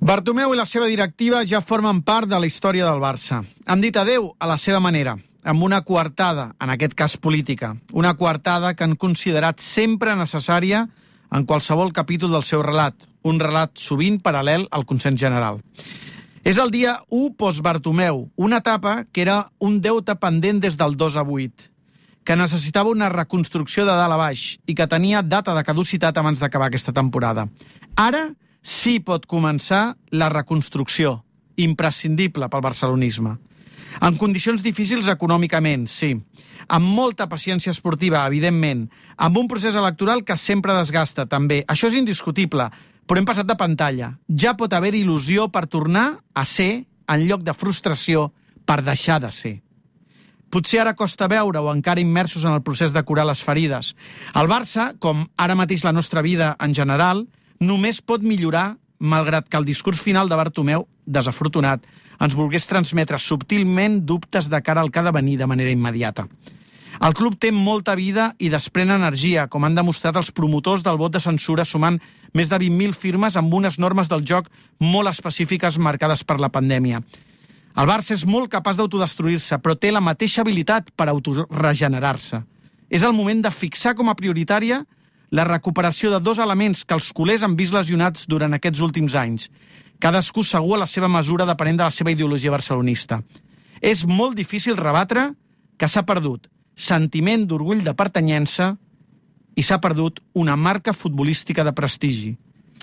Bartomeu i la seva directiva ja formen part de la història del Barça. Han dit adeu a la seva manera, amb una coartada, en aquest cas política. Una coartada que han considerat sempre necessària en qualsevol capítol del seu relat. Un relat sovint paral·lel al consens general. És el dia 1 post-Bartomeu, una etapa que era un deute pendent des del 2 a 8, que necessitava una reconstrucció de dalt a baix i que tenia data de caducitat abans d'acabar aquesta temporada. Ara sí pot començar la reconstrucció, imprescindible pel barcelonisme. En condicions difícils econòmicament, sí. Amb molta paciència esportiva, evidentment. Amb un procés electoral que sempre desgasta, també. Això és indiscutible, però hem passat de pantalla. Ja pot haver il·lusió per tornar a ser, en lloc de frustració, per deixar de ser. Potser ara costa veure o encara immersos en el procés de curar les ferides. El Barça, com ara mateix la nostra vida en general, només pot millorar malgrat que el discurs final de Bartomeu, desafortunat, ens volgués transmetre subtilment dubtes de cara al que ha de venir de manera immediata. El club té molta vida i desprèn energia, com han demostrat els promotors del vot de censura sumant més de 20.000 firmes amb unes normes del joc molt específiques marcades per la pandèmia. El Barça és molt capaç d'autodestruir-se, però té la mateixa habilitat per autoregenerar-se. És el moment de fixar com a prioritària la recuperació de dos elements que els culers han vist lesionats durant aquests últims anys. Cadascú segur a la seva mesura depenent de la seva ideologia barcelonista. És molt difícil rebatre que s'ha perdut sentiment d'orgull de pertanyença i s'ha perdut una marca futbolística de prestigi.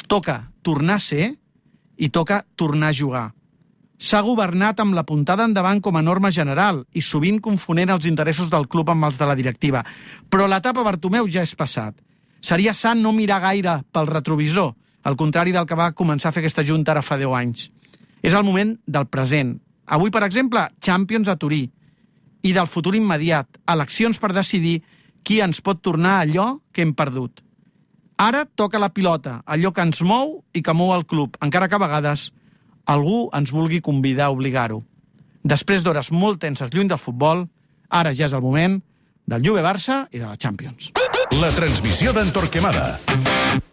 Toca tornar a ser i toca tornar a jugar. S'ha governat amb la puntada endavant com a norma general i sovint confonent els interessos del club amb els de la directiva. Però l'etapa Bartomeu ja és passat. Seria sant no mirar gaire pel retrovisor, al contrari del que va començar a fer aquesta junta ara fa 10 anys. És el moment del present. Avui, per exemple, Champions a Turí. I del futur immediat, eleccions per decidir qui ens pot tornar allò que hem perdut. Ara toca la pilota, allò que ens mou i que mou el club, encara que a vegades algú ens vulgui convidar a obligar-ho. Després d'hores molt tenses lluny del futbol, ara ja és el moment del Juve-Barça i de la Champions. La transmissió d'en Torquemada.